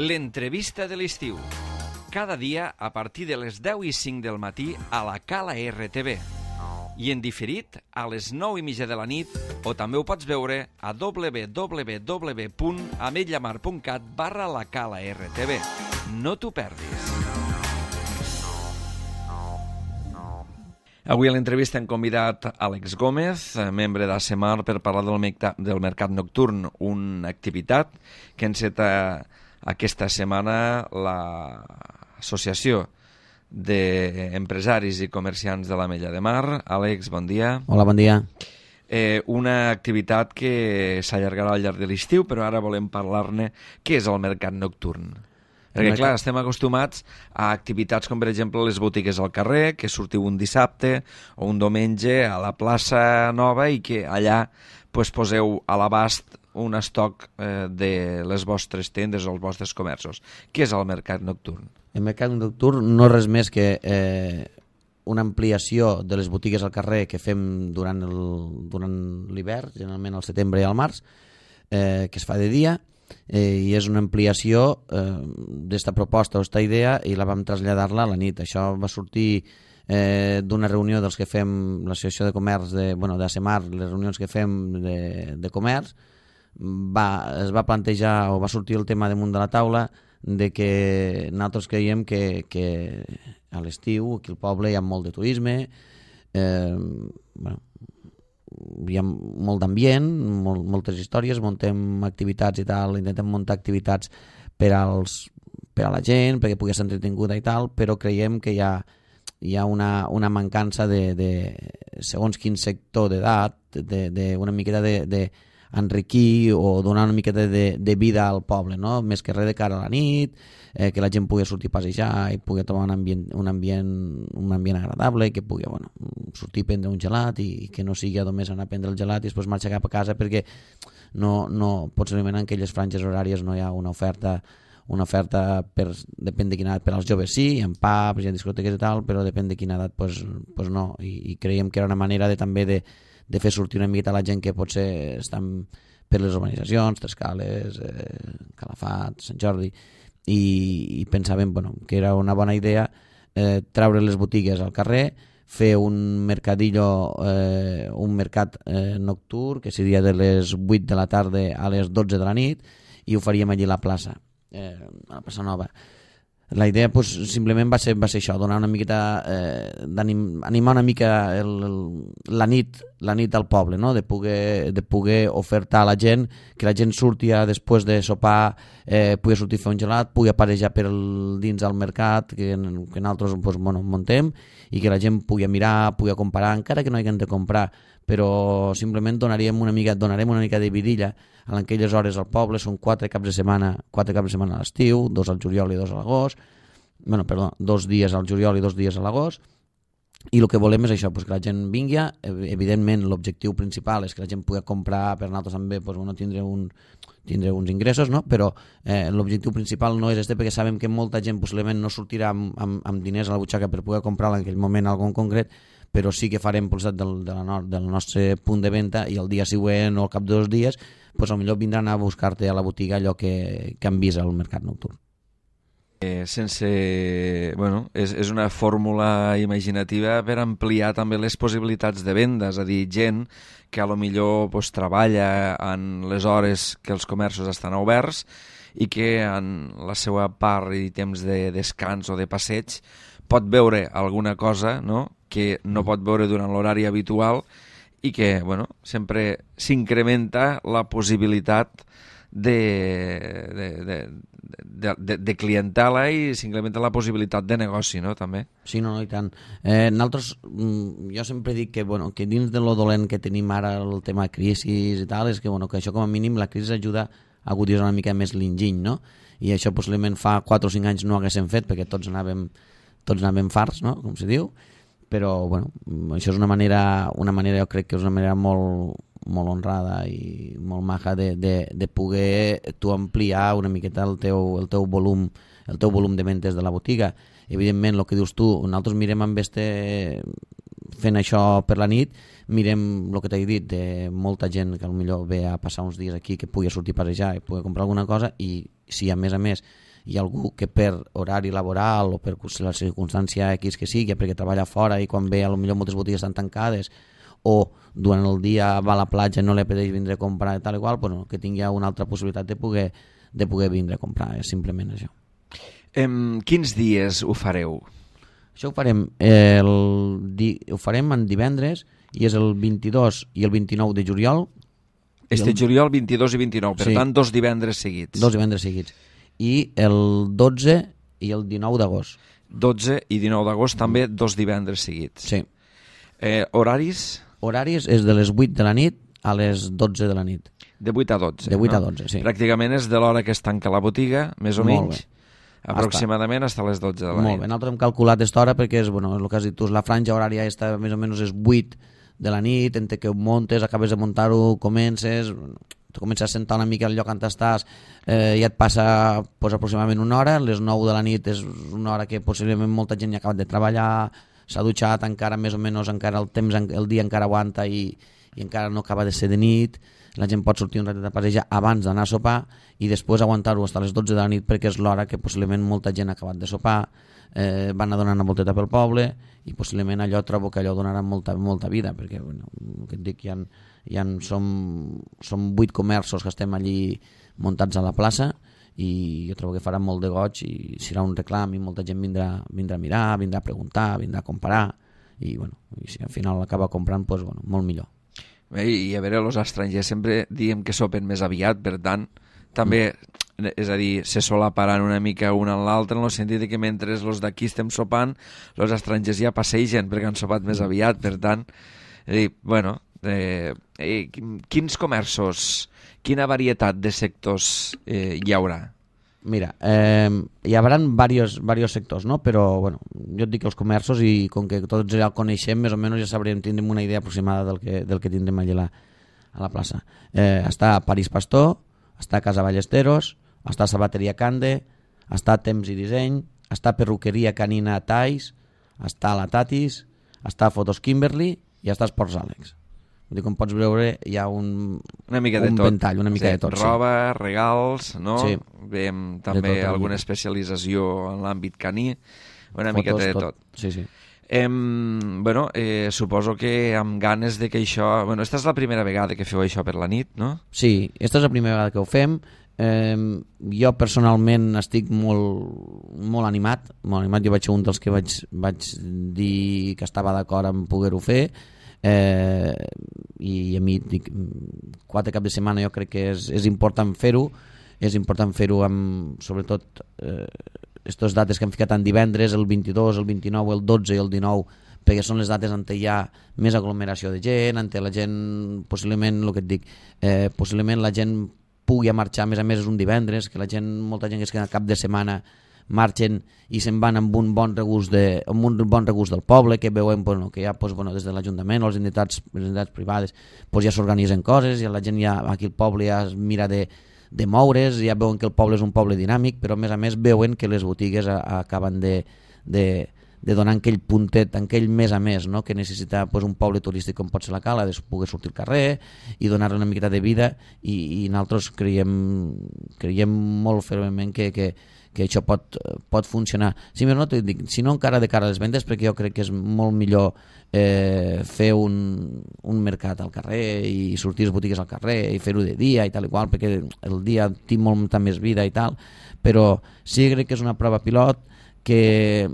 L'entrevista de l'estiu. Cada dia a partir de les 10:05 del matí a la Cala RTV. I en diferit a les 9:30 de la nit, o també ho pots veure a www.ametlllamar.cat/la Cala RTV. No t'ho perdis. Avui a l'entrevista hem convidat Àlex Gómez, membre d'ASEMAR, per parlar del mercat nocturn, una activitat que enceta aquesta setmana l'Associació d'Empresaris i Comerciants de l'Ametlla de Mar. Àlex, bon dia. Hola, bon dia. Una activitat que s'allargarà al llarg de l'estiu, però ara volem parlar-ne. Què és el mercat nocturn? Perquè, clar, estem acostumats a activitats com, per exemple, les botigues al carrer, que sortiu un dissabte o un diumenge a la plaça Nova i que allà poseu a l'abast un estoc de les vostres tendes o els vostres comerços. Què és el mercat nocturn? El mercat nocturn no és res més que una ampliació de les botigues al carrer que fem durant l'hivern, generalment al setembre i al març, que es fa de dia, i és una ampliació d'esta proposta o esta idea i la vam traslladar-la a la nit. Això va sortir d'una reunió dels que fem l'Associació de Comerç d'ASEMAR, les reunions que fem de comerç. Es va plantejar o va sortir el tema damunt de la taula de que nosaltres creiem que a l'estiu aquí al poble hi ha molt de turisme, hi ha molt d'ambient, moltes històries, muntem activitats i tal, intentem muntar activitats per a la gent, perquè pugui ser entretinguda i tal, però creiem que hi ha una mancança de segons quin sector d'edat, una miqueta d'enriquir o donar una miqueta de vida al poble, no? Més que res de cara a la nit, que la gent pugui sortir a passejar i pugui trobar un ambient agradable, que pugui sortir a prendre un gelat i que no sigui només anar a prendre el gelat i després marxar cap a casa, perquè no possiblement en aquelles franges horàries no hi ha una oferta depèn de quina edat. Per als joves sí, hi ha pubs, hi ha discoteques i tal, però depèn de quina edat pues no, i creiem que era una manera també de fer sortir una miqueta la gent que potser estan per les urbanitzacions, Trescales, Calafat, Sant Jordi, i pensàvem que era una bona idea treure les botigues al carrer, fer un mercadillo, un mercat nocturn, que seria de les 8 de la tarda a les 12 de la nit, i ho faríem allí a la plaça Nova. La idea simplement va ser això, donar una miqueta, animar una mica la nit al poble, no? de poder ofertar a la gent, que la gent surti després de sopar, pugui sortir a fer un gelat, pugui aparejar dins del mercat que nosaltres muntem, i que la gent pugui mirar, pugui comparar, encara que no hagin de comprar, però simplement donarem una mica de vidilla a aquelles hores al poble. Són 4 caps de setmana a l'estiu, 2 al juliol i 2 a l'agost, 2 dies al juliol i 2 dies a l'agost, i el que volem és això, que la gent vingui. Evidentment l'objectiu principal és que la gent pugui comprar, per nosaltres també tindre uns ingressos, no? Però l'objectiu principal no és este, perquè sabem que molta gent possiblement no sortirà amb diners a la butxaca per poder comprar en aquell moment algo en concret, però sí que farem del nostre punt de venda, i el dia següent o al cap de 2 dies potser vindran a buscar-te a la botiga allò que han vist al mercat nocturn. És una fórmula imaginativa per ampliar també les possibilitats de venda, és a dir, gent que a lo millor treballa en les hores que els comerços estan oberts i que en la seva part i temps de descans o de passeig pot veure alguna cosa, no?, que no pot veure durant l'horari habitual, i que sempre s'incrementa la possibilitat de clientela i s'incrementa la possibilitat de negoci, no?, també. Sí, no, i tant. Nosaltres, jo sempre dic que dins de lo dolent que tenim ara el tema de crisi i tal, és que això com a mínim la crisi ajuda a aguditzar una mica més l'enginy, no? I això possiblement fa 4 o 5 anys no haguéssim fet, perquè tots anàvem farts, no?, com se diu, però això és una manera, jo crec que és una manera molt honrada i molt maja de poder tu ampliar una miqueta el teu volum de ventes de la botiga. Evidentment, el que dius tu, nosaltres mirem fent això per la nit, mirem el que t'he dit, de molta gent que potser ve a passar uns dies aquí, que pugui sortir a passejar i pugui comprar alguna cosa, i si a més hi ha algú que per horari laboral o per la circumstància X que sigui, perquè treballa fora i quan ve potser moltes botigues estan tancades, o durant el dia va a la platja i no li apeteix vindre a comprar i tal i qual, bueno, que tingui una altra possibilitat de poder vindre a comprar, és simplement això. Quins dies ho fareu? Això ho farem en divendres i és el 22 i el 29 de juliol. Juliol 22 i 29, per tant 2 divendres seguits. 2 divendres seguits. I el 12 i el 19 d'agost. 12 i 19 d'agost també 2 divendres seguits. Sí. Horaris? Horaris és de les 8 de la nit a les 12 de la nit. De 8 a 12. De 8 a 12, sí. Pràcticament és de l'hora que es tanca la botiga, més o menys. Aproximadament fins a les 12 de la nit. Molt bé, nosaltres hem calculat aquesta hora perquè és, el que has dit tu, la franja horària està més o menys és 8 de la nit, entre que ho montes, acabes de muntar-ho, comences a sentar una mica al lloc on estàs, i et passa aproximadament una hora, les 9 de la nit és una hora que possiblement molta gent ja ha acabat de treballar, s'ha dutxat, encara més o menys encara el dia encara aguanta i encara no acaba de ser de nit, la gent pot sortir un ratet a passejar abans d'anar a sopar i després aguantar-ho fins a les 12 de la nit perquè és l'hora que possiblement molta gent ha acabat de sopar, van a donar una volteta pel poble i possiblement allò trobo que allò donarà molta vida perquè que et dic, som 8 comerços que estem allí muntats a la plaça i jo trobo que farà molt de goig i serà un reclam i molta gent vindrà a mirar, vindrà a preguntar, vindrà a comparar i si al final acaba comprant molt millor. I a veure, els estrangers sempre diem que sopen més aviat, per tant també, és a dir, se solaparan una mica un en l'altre en el sentit que mentre els d'aquí estem sopant els estrangers ja passegen perquè han sopat més aviat, per tant quins comerços, quina varietat de sectors hi haurà? Mira, hi haurà diversos sectors, no? Però jo et dic els comerços i com que tots ja el coneixem, més o menys ja tindrem una idea aproximada del que tindrem allà a la plaça. Està París Pastor, està Casa Ballesteros, està Sabateria Cande, està Temps i Disseny, està Perruqueria Canina Tais, està la Tatis, està Fotos Kimberly i està Esports Àlex. Com pots veure, hi ha una mica de tot. Ventall, una mica de tot. Roba, regals, no? Sí. Veiem també alguna especialització en l'àmbit caní, una mica de tot. Sí, sí. Suposo que amb ganes de que això... Esta és la primera vegada que feu això per la nit, no? Sí, esta és la primera vegada que ho fem. Jo personalment estic molt animat. Jo vaig ser un dels que vaig dir que estava d'acord en poder-ho fer. I a mi dic, 4 caps de setmana jo crec que és important fer-ho, amb sobretot aquestes dates que hem ficat en divendres, el 22, el 29, el 12 i el 19, perquè són les dates on hi ha més aglomeració de gent, on la gent possiblement, el que et dic, possiblement la gent pugui marxar, a més és un divendres, que molta gent que es queda cap de setmana marxen i se'n van amb un bon regust del poble, que veuen que ja des de l'Ajuntament o les entitats privades ja s'organitzen coses, i la gent aquí al poble ja es mira de moure's, ja veuen que el poble és un poble dinàmic, però a més veuen que les botigues acaben de donar aquell puntet, aquell més a més, no? Que necessita un poble turístic com pot ser la Cala, de poder sortir al carrer i donar una miqueta de vida, i nosaltres creiem molt fermament que això pot funcionar. Si no encara de cara a les vendes, perquè jo crec que és molt millor fer un mercat al carrer i sortir les botigues al carrer i fer-ho de dia i tal i qual, perquè el dia té molta més vida i tal, però sí crec que és una prova pilot que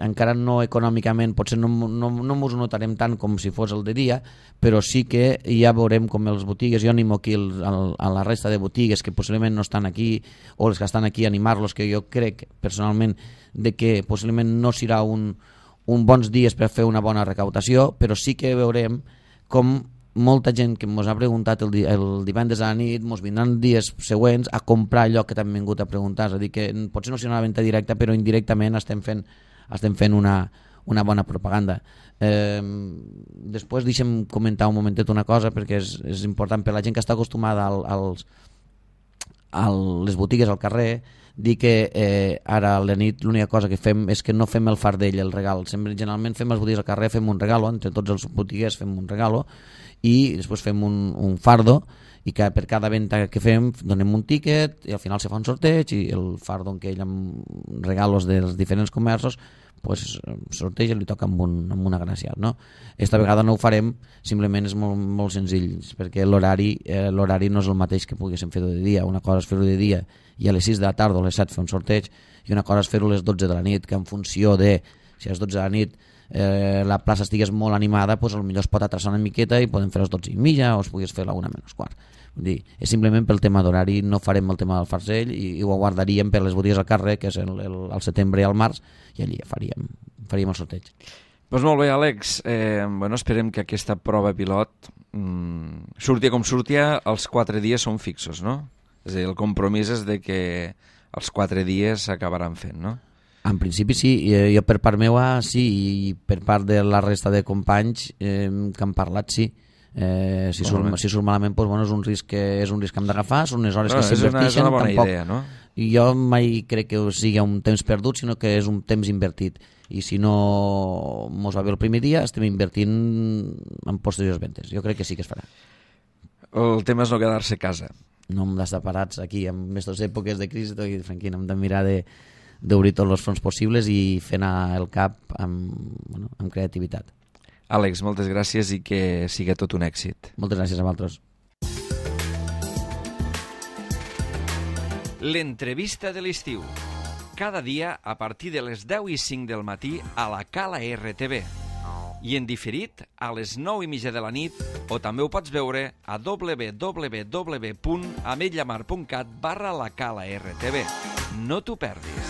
encara no econòmicament potser no ens ho notarem tant com si fos el de dia, però sí que ja veurem com les botigues, jo animo aquí a la resta de botigues que possiblement no estan aquí, o les que estan aquí, animar-los, que jo crec personalment de que possiblement no serà un bons dies per fer una bona recaptació, però sí que veurem com molta gent que ens ha preguntat el divendres a la nit ens vindran dies següents a comprar allò que t'han vingut a preguntar, és a dir, que potser no serà una venda directa, però indirectament estem fent una bona propaganda. Després deixem comentar un momentet una cosa, perquè és important per la gent que està acostumada a les botigues al carrer, dir que ara a la nit l'única cosa que fem és que no fem el fardell, el regal. Generalment fem les botigues al carrer, fem un regalo, entre tots els botiguers fem un regalo, i després fem un fardo i que per cada venda que fem donem un tíquet i al final se fa un sorteig i el fardo en què ell amb regalos dels diferents comerços pues, sorteig i li toca amb un agraciat, no? Esta vegada no ho farem, simplement és molt, molt senzill, perquè l'horari no és el mateix que poguéssim fer-ho de dia. Una cosa és fer-ho de dia i a les 6 de la tarda o a les 7 fer un sorteig, i una cosa és fer-ho a les 12 de la nit, que en funció de si a les 12 de la nit la plaça estigués molt animada, pues, potser es pot atrasar una miqueta i podem fer a les 12:30 o es pogués fer a la 1:15. Vull dir, és simplement pel tema d'horari, no farem el tema del farcell i ho guardaríem per les botigues al carrer, que és al setembre i al març, i allí faríem el sorteig. Doncs molt bé, Àlex. Esperem que aquesta prova pilot surti com surtia, els 4 dies són fixos, no? És a dir, el compromís és de que els 4 dies s'acabaran fent, no? En principi sí, jo per part meva sí, i per part de la resta de companys que han parlat sí. Si surt malament, doncs, bueno, és un risc que hem d'agafar, són unes hores que s'inverteixen. És una bona idea, no? I jo mai crec que sigui un temps perdut, sinó que és un temps invertit. I si no mos va bé el primer dia, estem invertint en posteriors ventes. Jo crec que sí que es farà. El tema és no quedar-se a casa. No hem d'estar parats aquí en aquestes èpoques de crisi, tranquil, hem de mirar d'obrir tots els fronts possibles i fer anar el cap amb creativitat. Àlex, moltes gràcies i que sigui tot un èxit. Moltes gràcies a vosaltres. L'entrevista de l'estiu. Cada dia a partir de les 10:05 del matí a la Cala RTV. I en diferit a les 9:30 de la nit, o també ho pots veure a www.ametlllamar.cat/la Cala RTV. No t'ho perdis.